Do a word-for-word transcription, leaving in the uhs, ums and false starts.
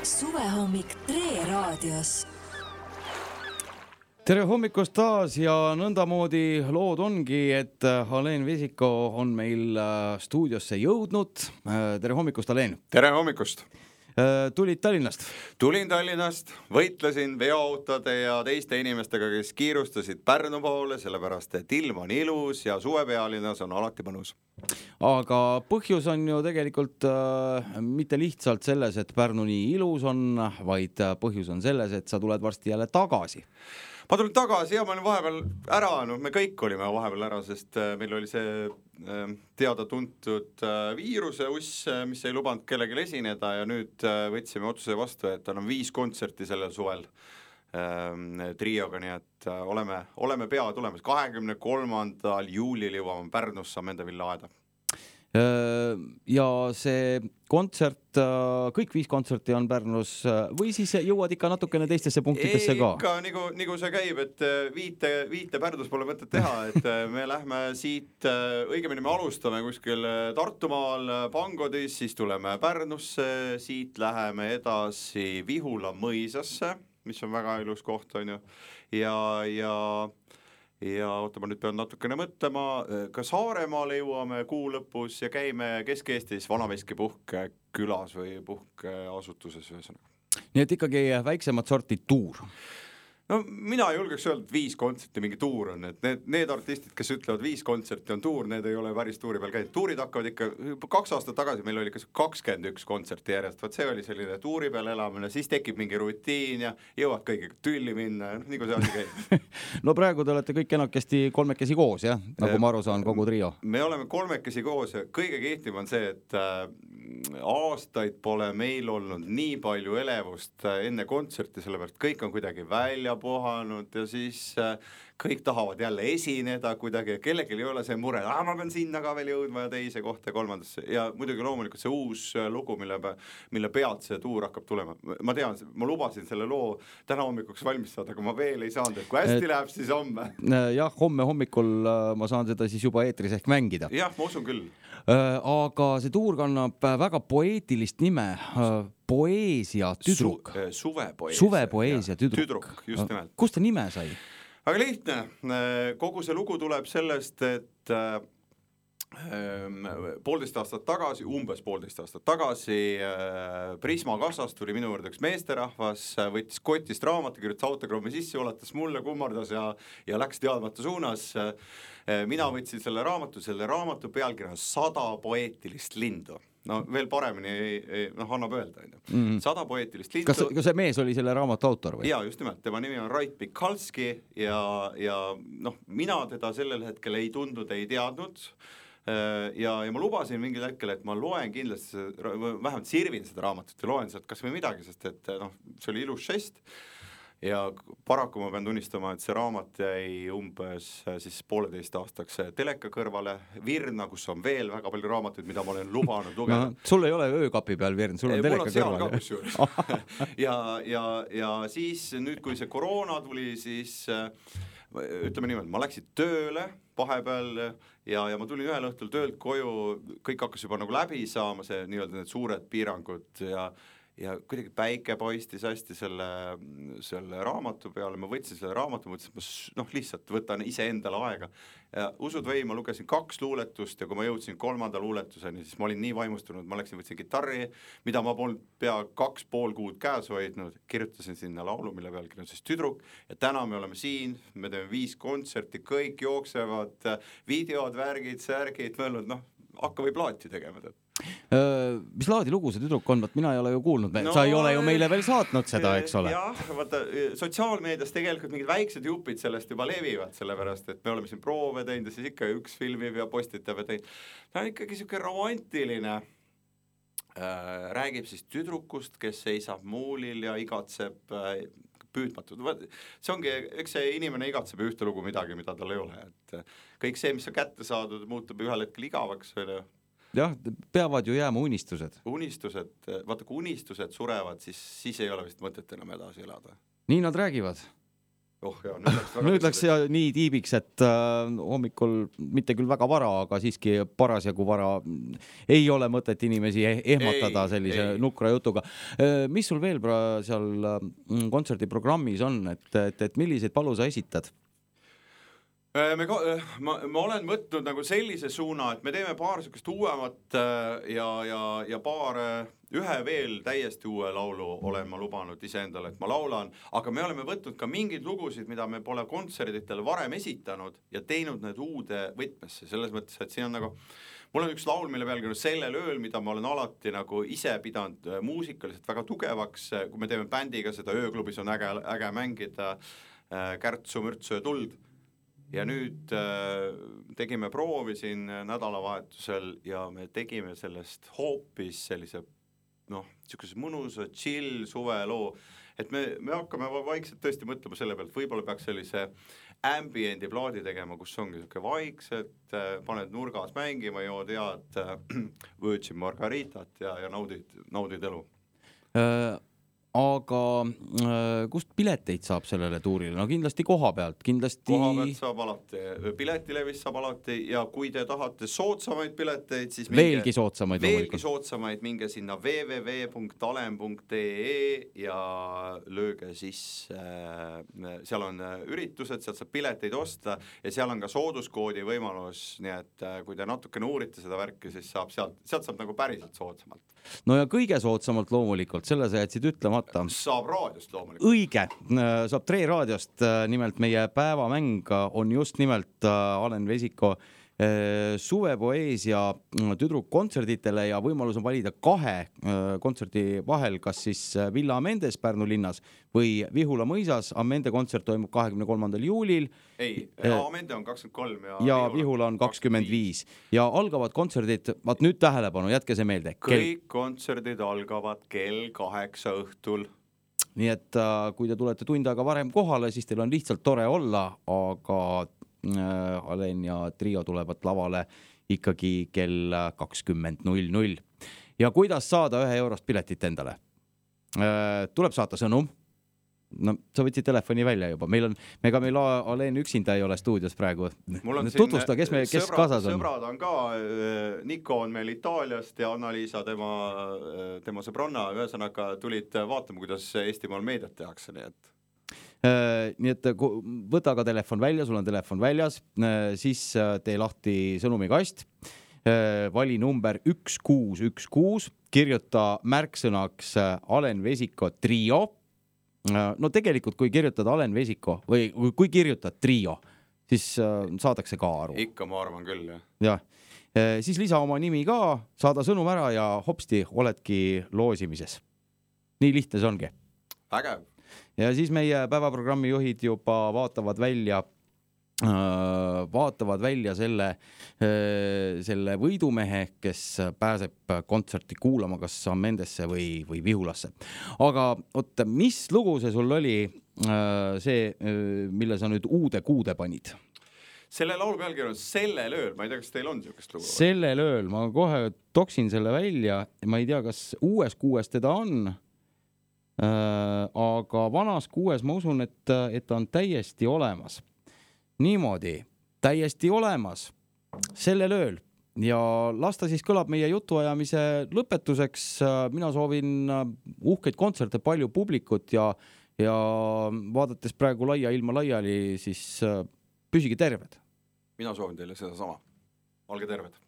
Suvehommik Tre raadios. Tere hommikust taas ja nõndamoodi lood ongi, et Alen Vesiko on meil stuudiosse jõudnud. Tere hommikust, Alen! Tere hommikust! Tulid Tallinnast? Tulin Tallinnast, võitlesin veoautode ja teiste inimestega, kes kiirustasid Pärnu poole, sellepärast et ilm on ilus ja suvepealinnas on alati mõnus. Aga põhjus on ju tegelikult äh, mitte lihtsalt selles, et Pärnu nii ilus on, vaid põhjus on selles, et sa tuled varsti jälle tagasi. Ma tulin tagasi ja ma olin vahepeal ära, no me kõik olime vahepeal ära, sest meil oli see teada-tuntud viiruse uss, mis ei lubanud kellelgi esineda ja nüüd võtsime otsuse vastu, et on viis kontserti sellel suvel trioga, nii et oleme, oleme pea tulemas. kahekümne kolmandal juulil jõuame Pärnus, saame enda Villa aeda. Ja see kontsert, kõik viis kontserti on Pärnus või siis jõuad ikka natukene teistesse punktidesse ka? Ikka nagu, nagu see käib, et viite, viite Pärnus pole mõtet teha, et me lähme siit, õigemini me alustame kuskil Tartumaal Pangodis, siis tuleme Pärnusse, siit läheme edasi Vihula mõisasse, mis on väga ilus koht, on ju, ja, ja ja oota, ma nüüd pean natukene mõtlema, ka Saaremaale jõuame kuu lõpus ja käime Kesk-Eestis Vanaveski puhke külas või puhke asutuses ühesõnaga. Nii et ikkagi väiksemad sorti tuur. No mina ei julgeks öelda, et viis kontserti mingi tuur on, et need, need artistid, kes ütlevad viis kontserti on tuur, need ei ole päris tuuri peal käinud. Tuurid hakkavad ikka, kaks aastat tagasi meil oli ikka kakskümmend üks kontserti järjest, vaat see oli selline tuuri peal elamine, siis tekib mingi rutiin ja jõuad kõigiga tülli minna, nii kui see asi käib. No praegu te olete kõik enakesti kolmekesi koos, jah? Nagu ma aru saan, kogu trio. Me oleme kolmekesi koos ja kõige kehtim on see, et aastaid pole meil olnud nii palju elevust enne kontserti, sellepärast kõik on kuidagi välja puhanud ja siis kõik tahavad jälle esineda kuidagi ja kellelgi ei ole see mure, ah, ma pean sinna ka veel jõudma ja teise kohta ja kolmandasse ja muidugi loomulikult see uus lugu, mille, mille pealt see tuur hakkab tulema. Ma tean, ma lubasin selle loo täna hommikuks valmistada, aga ma veel ei saanud, et kui hästi et, läheb, siis homme. Jah, homme hommikul ma saan seda siis juba eetris ehk mängida. Jah, ma usun küll. Aga see tuur kannab väga poeetilist nime, Poeesia tüdruk. Su, suvepoeesia. Suvepoeesia tüdruk. Tüdruk, just nimelt. Kust ta nime sai? Aga lihtne, kogu see lugu tuleb sellest, et poolteist aastat tagasi, umbes poolteist aastat tagasi Prisma kassast tuli minu juurde üks meesterahvas, võttis kotist raamatu, kirjutas autogrammi sisse, ulatas mulle, kummardas ja, ja läks teadmata suunas. Mina võtsin selle raamatu, selle raamatu pealkirja sada poeetilist lindu. No veel paremini noh, annab öelda. Mm-hmm. Sada poeetilist lindu. Kas, kas see mees oli selle raamatu autor või? Jaa, just nimelt. Tema nimi on Rait Mikalski ja, ja noh, mina teda sellel hetkel ei tundnud, ei teadnud. Ja, ja ma lubasin mingil hetkel, et ma loen kindlasti, vähemalt sirvin seda raamatut ja loen sealt kas või midagi, sest et noh, see oli ilus žest. Ja paraku ma pean tunnistama, et see raamat jäi umbes siis pooleteist aastaks teleka kõrvale Virna, kus on veel väga palju raamatuid, mida ma olen lubanud lugeda. No, sul ei ole öökapi peal Virn, sul on ei, teleka kõrval. Ka, ja, ja, ja siis nüüd, kui see koroona tuli, siis ütleme niimoodi, ma läksin tööle vahepeal ja, ja ma tulin ühel õhtul töölt koju, kõik hakkas juba nagu läbi saama, see nii-öelda need suured piirangud ja ja kuidagi päike paistis hästi selle, selle raamatu peale, ma võtsin selle raamatu, mõtlesin, et ma noh, lihtsalt võtan ise endale aega. Ja usud või, ma lugesin kaks luuletust ja kui ma jõudsin kolmanda luuletuseni, siis ma olin nii vaimustunud, ma läksin, võtsin gitarri, mida ma polnud pea kaks pool kuud käes hoidnud, kirjutasin sinna laulu, mille pealkiri on siis Tüdruk ja täna me oleme siin, me teeme viis kontserti, kõik jooksevad, videod, värgid, särgid, mõelnud, noh, hakka või plaati tegema tead. Mis laadi lugu see tüdruk on? Mina ei ole ju kuulnud, no, sa ei ole ju meile veel saatnud seda, eks ole. Jah, vaata, sotsiaalmeedias tegelikult mingid väiksed jupid sellest juba levivad, sellepärast, et me oleme siin proove teinud ja siis ikka üks filmib ja postitab ja teinud. Ta on ikkagi siuke romantiline, äh, räägib siis tüdrukust, kes seisab muulil ja igatseb äh, püüdmatud. See ongi, eks see inimene igatseb ühte lugu midagi, mida tal ei ole. Et kõik see, mis on kätte saadud, muutub ühel hetkel igavaks. Jah, peavad ju jääma unistused. Unistused, vaata kui unistused surevad, siis, siis ei ole vist mõtet enam edasi elada. Nii nad räägivad. Oh jah, nüüd läks, nüüd läks ja nii tiibiks, et äh, hommikul mitte küll väga vara, aga siiski parasjagu vara ei ole mõtet inimesi ehmatada ei, sellise ei. nukra jutuga. Mis sul veel pra- seal kontserdiprogrammis on, et, et, et milliseid palu sa esitad? Me, ma, ma olen võtnud nagu sellise suuna, et me teeme paar sükest uuemat ja, ja, ja paar ühe veel täiesti uue laulu olen ma lubanud iseendale, et ma laulan, aga me oleme võtnud ka mingeid lugusid, mida me pole kontserditel varem esitanud ja teinud need uude võtmesse, selles mõttes, et siin on nagu mul on üks laul, mille pealgi on Sellel ööl, mida ma olen alati nagu ise pidanud muusikaliselt väga tugevaks, kui me teeme bändiga seda ööklubis on äge, äge mängida Kärtsu, Mürtsu ja Tuld. Ja nüüd äh, tegime proovi siin nädalavahetusel ja me tegime sellest hoopis sellise, noh, niisuguse mõnusa chill suveloo, et me, me hakkame vaikselt tõesti mõtlema selle pealt, võib-olla peaks sellise ambiendi plaadi tegema, kus ongi niisugune vaikselt, äh, paned nurgas mängima, jood head äh, Virgin Margaritat ja, ja naudid, naudid elu. Äh... Aga äh, kust pileteid saab sellele tuurile? No kindlasti koha pealt, kindlasti... Koha pealt saab alati, piletilevis saab alati ja kui te tahate sootsamaid pileteid, siis... Minge, veelgi sootsamaid. Veelgi sootsamaid, minge sinna double-u double-u double-u punkt alen punkt e e ja lööge siis, äh, seal on üritused, sealt saab pileteid osta ja seal on ka sooduskoodi võimalus, nii et äh, kui te natukene uurite seda värki, siis saab sealt, sealt saab nagu päriselt soodsamalt. No ja kõige soodsamalt loomulikult, selle sa jätsid ütlema. Saab raadiost loomulikult. Õige, saab Tre raadiost, nimelt meie päevamäng on just nimelt Alen Vesiko suvepoeesia tüdrukkontserditele ja võimalus on valida kahe kontserdi vahel, kas siis Villa Amendes Pärnu linnas või Vihula mõisas. Amende kontsert toimub kahekümne kolmandal juulil. Ei, Amende on kakskümmend kolm ja, ja Vihula on kakskümmend viis. Ja algavad kontserdid, vaat nüüd tähelepanu, jätke see meelde. Kõik kontserdid algavad kell kaheksa õhtul. Nii et kui te tulete tund aega varem kohale, siis teil on lihtsalt tore olla, aga Alen ja Trio tulevad lavale ikkagi kell kakskümmend null null. Ja kuidas saada ühe eurost piletit endale? Tuleb saata sõnum. No, sa võtsid telefoni välja juba. Meil on, ega meil Alen üksinda ei ole stuudios praegu. Tutvusta, kes, me, kes sõbrad, kaasas on? Sõbrad on ka. Niko on meil Itaaliast ja Anna-Liisa tema, tema sõbronna. Ühesõnaga tulid vaatama, kuidas Eestimaal meediat tehakse, nii et nii et võta ka telefon välja, sul on telefon väljas, siis tee lahti sõnumikast, vali number üks kuus üks kuus, kirjuta märksõnaks Alen Vesiko Trio. No tegelikult, kui kirjutad Alen Vesiko või kui kirjutad Trio, siis saadakse ka aru. Ikka ma arvan küll, jah. Jah. Siis lisa oma nimi ka, saada sõnum ära ja hopsti oledki loosimises. Nii lihtne see ongi. Vägev. Ja siis meie päevaprogrammi juhid juba vaatavad välja, vaatavad välja selle, selle võidumehe, kes pääseb kontserti kuulama kas Amendesse või, või Vihulasse. Aga oot, mis lugu see sul oli, see, mille sa nüüd uude kuude panid? Selle laulu pealgi on Sellel ööl, ma ei tea, kas teil on niisugust lugu? Sellel ööl, ma kohe toksin selle välja, ma ei tea, kas uues kuues teda on, Äh, aga vanas kuues ma usun, et, et on täiesti olemas. Niimoodi, täiesti olemas sellel ööl ja lasta siis kõlab meie jutuajamise lõpetuseks. Mina soovin uhkeid kontserte, palju publikut ja, ja vaadates praegu laia ilma laiali, siis püsige terved. Mina soovin teile seda sama. Olge terved.